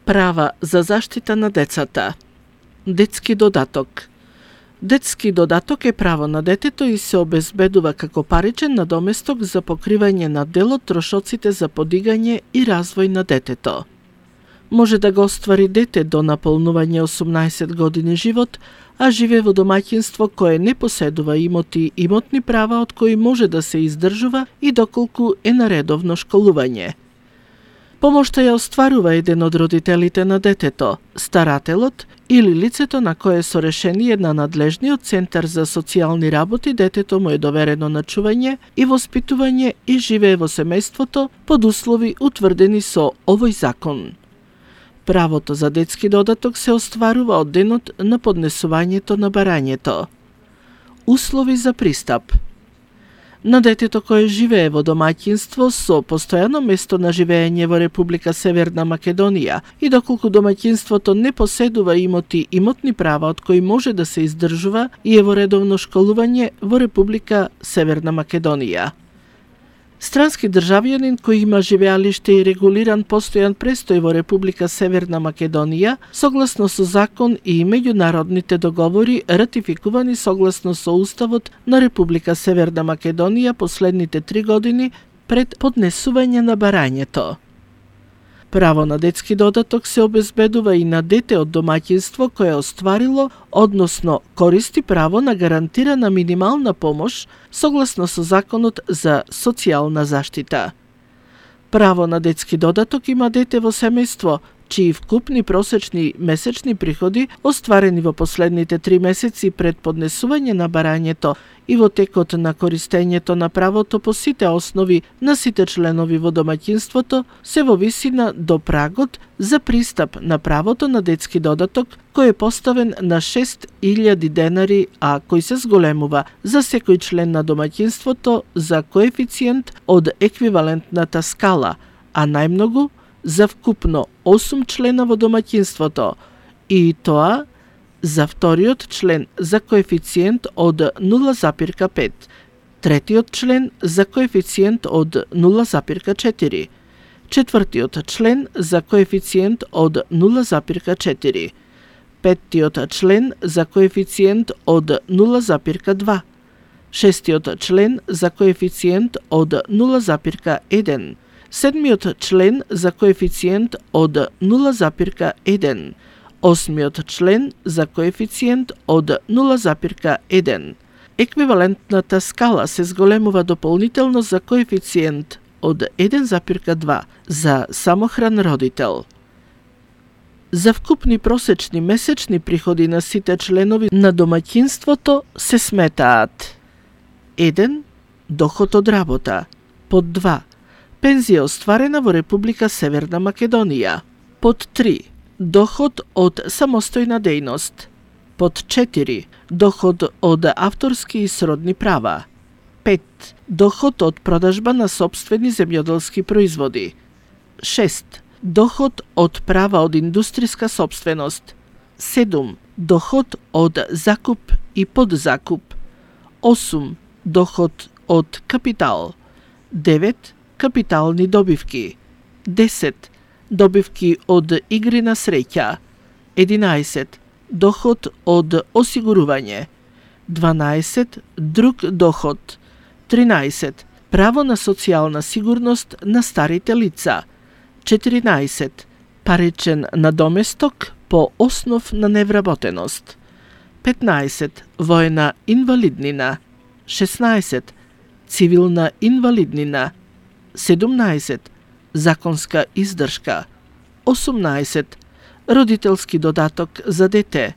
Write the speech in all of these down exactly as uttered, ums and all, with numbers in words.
Права за заштита на децата. Детски додаток. Детски додаток е право на детето и се обезбедува како паричен надоместок за покривање на дел од трошоците за подигање и развој на детето. Може да го оствари дете до наполнување осумнаесет години живот, а живее во домаќинство кое не поседува имоти и имотни права од кои може да се издржува и доколку е на редовно школување. Помошта ја остварува еден од родителите на детето, старателот или лицето на кое со решение на надлежниот центар за социјални работи детето му е доверено на чување и воспитување и живее во семејството под услови утврдени со овој закон. Правото за детски додаток се остварува од денот на поднесувањето на барањето. Услови за пристап. На детето кое живее во домаќинство со постојано место на живење во Република Северна Македонија и доколку домаќинството не поседува имоти и имотни права од кои може да се издржува и е во редовно школување во Република Северна Македонија. Странски државјанин кој има живеалиште и регулиран постојан престој во Република Северна Македонија, согласно со закон и меѓународните договори ратификувани согласно со Уставот на Република Северна Македонија последните три години пред поднесување на барањето. Право на детски додаток се обезбедува и на дете од домаќинство кое остварило, односно користи право на гарантирана минимална помош согласно со Законот за социјална заштита. Право на детски додаток има дете во семејство чии вкупни просечни месечни приходи остварени во последните три месеци пред поднесување на барањето и во текот на користењето на правото по сите основи на сите членови во домаќинството се во висина до прагот за пристап на правото на детски додаток кој е поставен на шест илјади денари, а кој се зголемува за секој член на домаќинството за коефициент од еквивалентната скала, а најмногу за вкупно осум члена во домаќинството, и тоа за вториот член за коефициент од нула запирка пет, третиот член за коефициент од нула запирка четири, четвртиот член за коефициент од нула запирка четири, петтиот член за коефициент од нула запирка два, шестиот член за коефициент од нула запирка еден, седмиот член за коефициент од нула запирка еден, осмиот член за коефициент од нула запирка еден. Еквивалентната скала се зголемува дополнително за коефициент од еден запирка два за самохран родител. За вкупни просечни месечни приходи на сите членови на домаќинството се сметаат: еден Доход од работа, под два пензија остварена во Република Северна Македонија, под три доход од самостојна дејност, под четири доход од авторски и сродни права, пет доход од продажба на сопствени земјоделски производи, шест доход од права од индустријска сопственост, седум доход од закуп и подзакуп, осум доход од капитал, девет капитални добивки, десет добивки од игри на среќа, единаесет доход од осигурување, дванаесет друг доход, тринаесет право на социјална сигурност на старите лица, четиринаесет паричен надоместок по основ на невработеност, петнаесет воена инвалиднина, шеснаесет цивилна инвалиднина, седумнаесет законска издршка, осумнаесет родителски додаток за дете,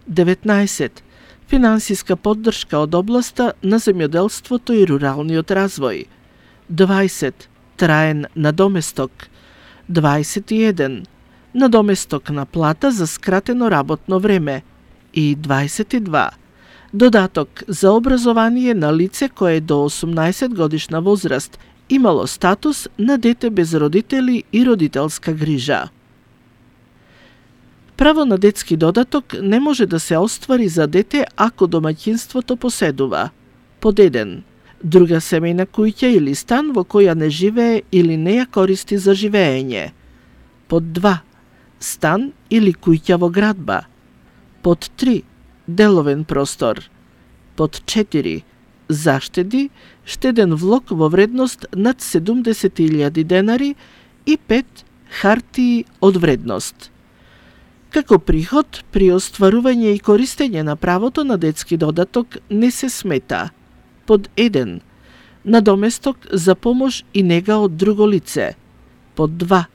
деветнаесет финансиска поддршка од областа на земјоделството и руралниот развој, дваесет траен надоместок, дваесет и еден надоместок на плата за скратено работно време и дваесет и два додаток за образование на лице кое до осумнаесет годишна возраст имало статус на дете без родители и родителска грижа. Право на детски додаток не може да се оствари за дете ако домаќинството поседува: под еден друга семејна куќа или стан во која не живее или не ја користи за живење; под два стан или куќа во градба. Под три, деловен простор. Под четири, заштеди, штеден влог во вредност над седумдесет илјади денари и пет, хартии од вредност. Како приход, при остварување и користење на правото на детски додаток не се смета. Под еден, надоместок за помош и нега од друго лице. Под два,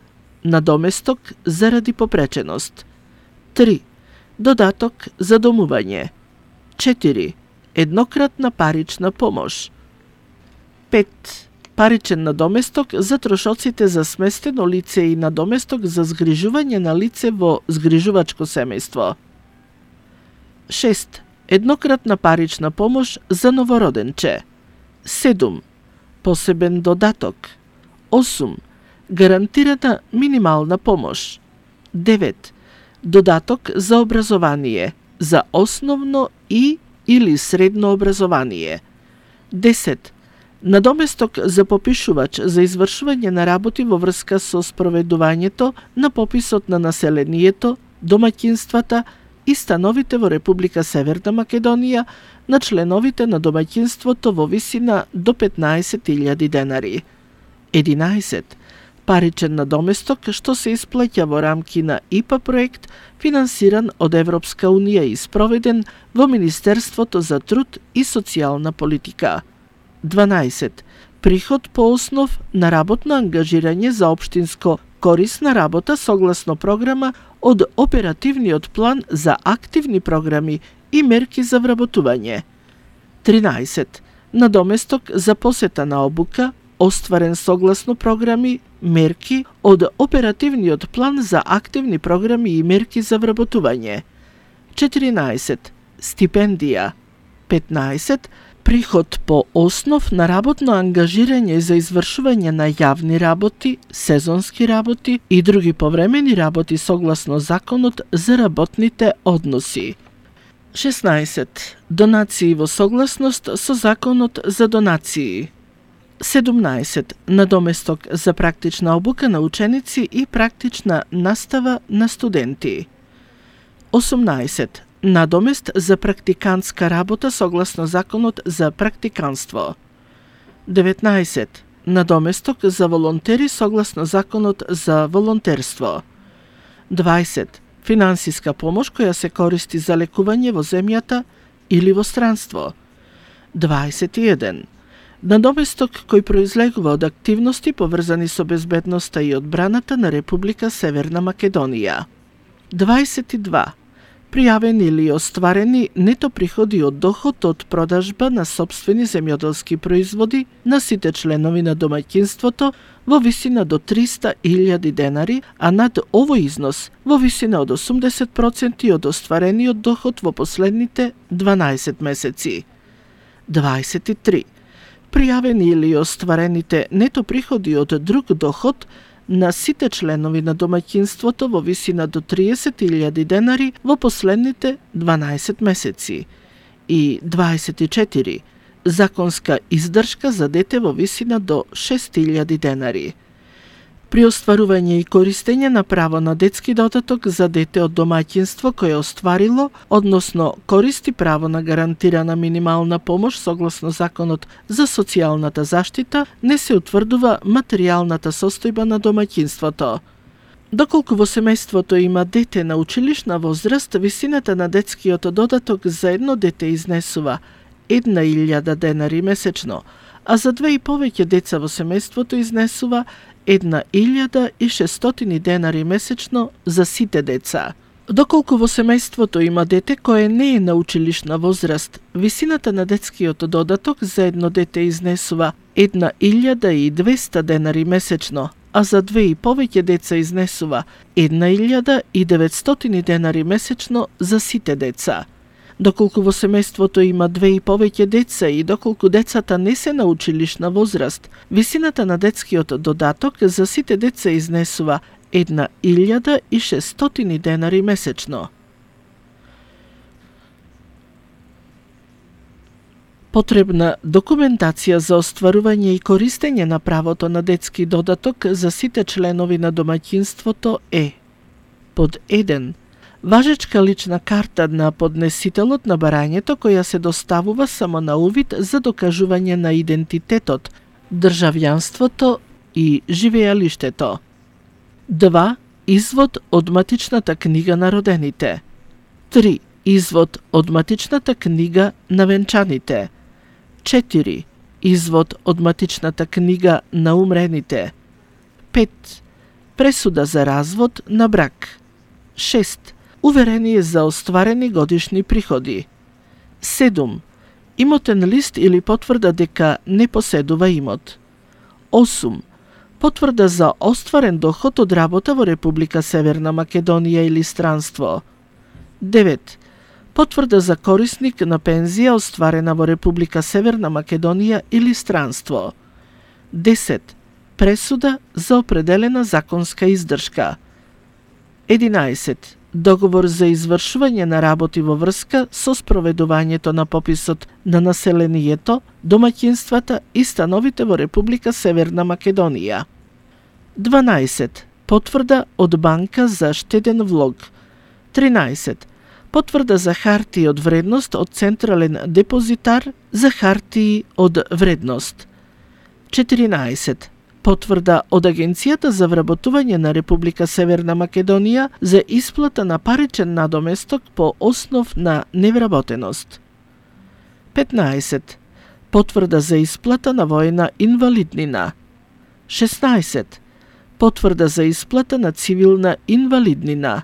надоместок заради попреченост. три, додаток за домување. четири, еднократна парична помош. пет, паричен надоместок за трошоците за сместено лице и надоместок за згрижување на лице во згрижувачко семејство. шест, еднократна парична помош за новороденче. седум, посебен додаток. осум, гарантирана минимална помош. девет, додаток за образование, за основно и или средно образование. десет, надоместок за попишувач за извршување на работи во врска со спроведувањето на пописот на населението, домаќинствата и становите во Република Северна Македонија на членовите на домаќинството во висина до петнаесет илјади денари. единаесет, паричен надоместок што се исплаќа во рамки на ай пи ей проект финансиран од Европска унија и спроведен во Министерството за труд и социјална политика. дванаесет, приход по основ на работно ангажирање за општинско корисна работа согласно програма од оперативниот план за активни програми и мерки за вработување. тринаесет, надоместок за посета на обука, остварен согласно програми, мерки од оперативниот план за активни програми и мерки за вработување. четиринаесет, стипендија. петнаесет, приход по основ на работно ангажирање за извршување на јавни работи, сезонски работи и други повремени работи согласно Законот за работните односи. шеснаесет, донации во согласност со Законот за донации. седумнаесет, надоместок за практична обука на ученици и практична настава на студенти. осумнаесет, надомест за практикантска работа согласно Законот за практиканство. деветнаесет, надоместок за волонтери согласно Законот за волонтерство. дваесет, финансиска помош која се користи за лекување во земјата или во странство. дваесет и еден, надоместок кој произлегува од активности поврзани со безбедноста и одбраната на Република Северна Македонија. дваесет и два, пријавени или остварени нето приходи од доход од продажба на сопствени земјоделски производи на сите членови на домаќинството во висина до триста илјади денари, а над овој износ во висина од осумдесет проценти од остварениот доход во последните дванаесет месеци. дваесет и три, пријавени или остварените нето приходи од друг доход на сите членови на домаќинството во висина до триесет илјади денари во последните дванаесет месеци. И дваесет и четири, законска издршка за дете во висина до шест илјади денари. При остварување и користење на право на детски додаток за дете од домаќинство кое остварило, односно користи право на гарантирана минимална помош согласно Законот за социјалната заштита, не се утврдува материјалната состојба на домаќинството. Доколку во семејството има дете на училишна возраст, висината на детскиот додаток за едно дете изнесува една илјада денари месечно, а за две и повеќе деца во семејството изнесува една илјада и шестстотини денари месечно за сите деца. Доколку во семејството има дете кое не е на училишна возраст, висината на детскиот додаток за едно дете изнесува една илјада и двеста денари месечно, а за две и повеќе деца изнесува една илјада и деветстотини денари месечно за сите деца. Доколку во семејството има две и повеќе деца и доколку децата не се на училишна возраст, висината на детскиот додаток за сите деца изнесува една илјада и шестстотини денари месечно. Потребна документација за остварување и користење на правото на детски додаток за сите членови на домаќинството е Под еден. Важечка лична карта на поднесителот на барањето која се доставува само на увид за докажување на идентитетот, државјанството и живеалиштето. два. Извод од матичната книга на родените. три. Извод од матичната книга на венчаните. четири. Извод од матичната книга на умрените. пет. Пресуда за развод на брак. шест. Уверение за остварени годишни приходи. седум. Имотен лист или потврда дека не поседува имот. осум. Потврда за остварен доход од работа во Република Северна Македонија или странство. девет. Потврда за корисник на пензија остварена во Република Северна Македонија или странство. десет. Пресуда за определена законска издршка. единаесет. Договор за извршување на работи во врска со спроведувањето на пописот на населението, домаќинствата и становите во Република Северна Македонија. дванаесет. Потврда од банка за штеден влог. тринаесет. Потврда за хартии од вредност од Централен депозитар за хартии од вредност. четиринаесет. Потврда од Агенцијата за вработување на Република Северна Македонија за исплата на паричен надоместок по основ на невработеност. петнаесет. Потврда за исплата на воена инвалиднина. шеснаесет. Потврда за исплата на цивилна инвалиднина.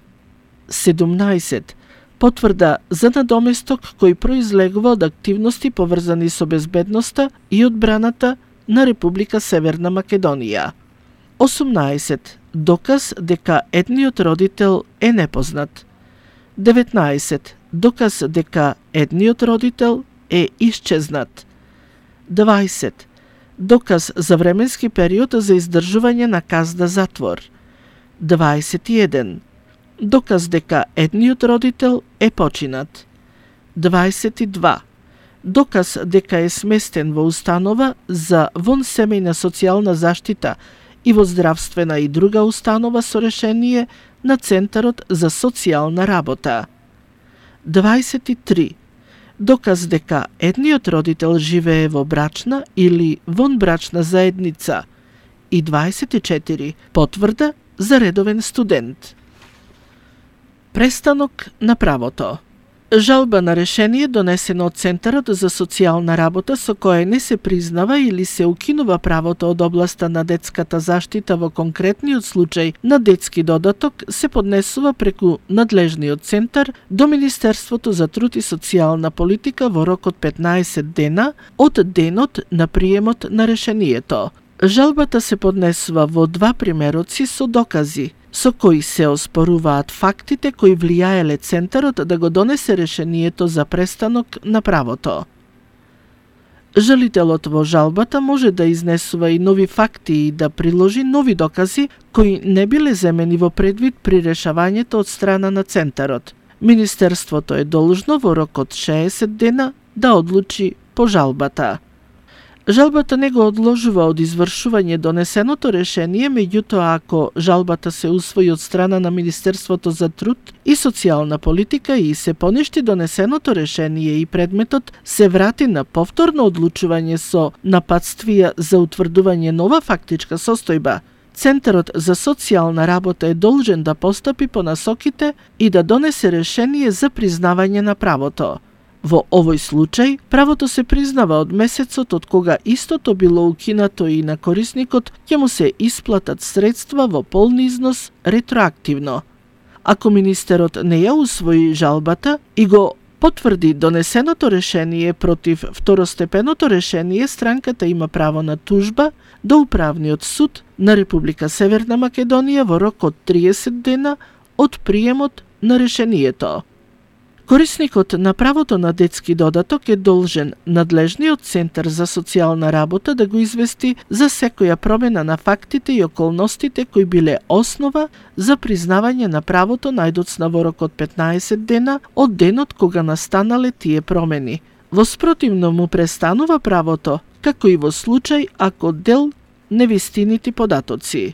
седумнаесет. Потврда за надоместок кој произлегува од активности поврзани со безбедноста и одбраната на Република Северна Македонија. осумнаесет. Доказ дека едниот родител е непознат. деветнаесет. Доказ дека едниот родител е исчезнат. дваесет. Доказ за временски период за издржување на казна затвор. дваесет и еден. Доказ дека едниот родител е починат. дваесет и два. Доказ дека е сместен во установа за вонсемејна социјална заштита и во здравствена и друга установа со решение на Центарот за социјална работа. дваесет и три. Доказ дека едниот родител живее во брачна или вонбрачна заедница. И дваесет и четири. Потврда за редовен студент. Престанок на правото. Жалба на решение донесено од Центарот за социјална работа со кое не се признава или се укинува правото од областа на детската заштита во конкретниот случај на детски додаток се поднесува преку надлежниот центар до Министерството за труд и социјална политика во рок од петнаесет дена од денот на приемот на решението. Жалбата се поднесува во два примероци со докази, со кои се оспоруваат фактите кои влијаеле Центарот да го донесе решението за престанок на правото. Жалителот во жалбата може да изнесува и нови факти и да приложи нови докази кои не биле земени во предвид при решавањето од страна на Центарот. Министерството е должно во рок од шеесет дена да одлучи по жалбата. Жалбата не го одложува од извршување донесеното решение, меѓутоа ако жалбата се усвои од страна на Министерството за труд и социјална политика и се поништи донесеното решение и предметот се врати на повторно одлучување со напатствија за утврдување нова фактичка состојба, Центарот за социјална работа е должен да постапи по насоките и да донесе решение за признавање на правото. Во овој случај, правото се признава од месецот од кога истото било укинато и на корисникот ќе му се исплатат средства во полни износ ретроактивно. Ако министерот не ја усвои жалбата и го потврди донесеното решение против второстепеното решение, странката има право на тужба до Управниот суд на Република Северна Македонија во рок од триесет дена од приемот на решението. Корисникот на правото на детски додаток е должен надлежниот Центар за социјална работа да го извести за секоја промена на фактите и околностите кои биле основа за признавање на правото најдоцна во рок од петнаесет дена од денот кога настанале тие промени. Во спротивно му престанува правото, како и во случај ако дел невистинити податоци.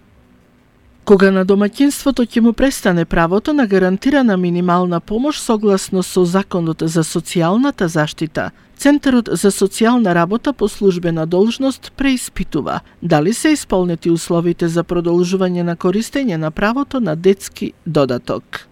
Кога на домаќинството ќе му престане правото на гарантирана минимална помош согласно со Законот за социјалната заштита, Центарот за социјална работа по службена должност преиспитува дали се исполнети условите за продолжување на користење на правото на детски додаток.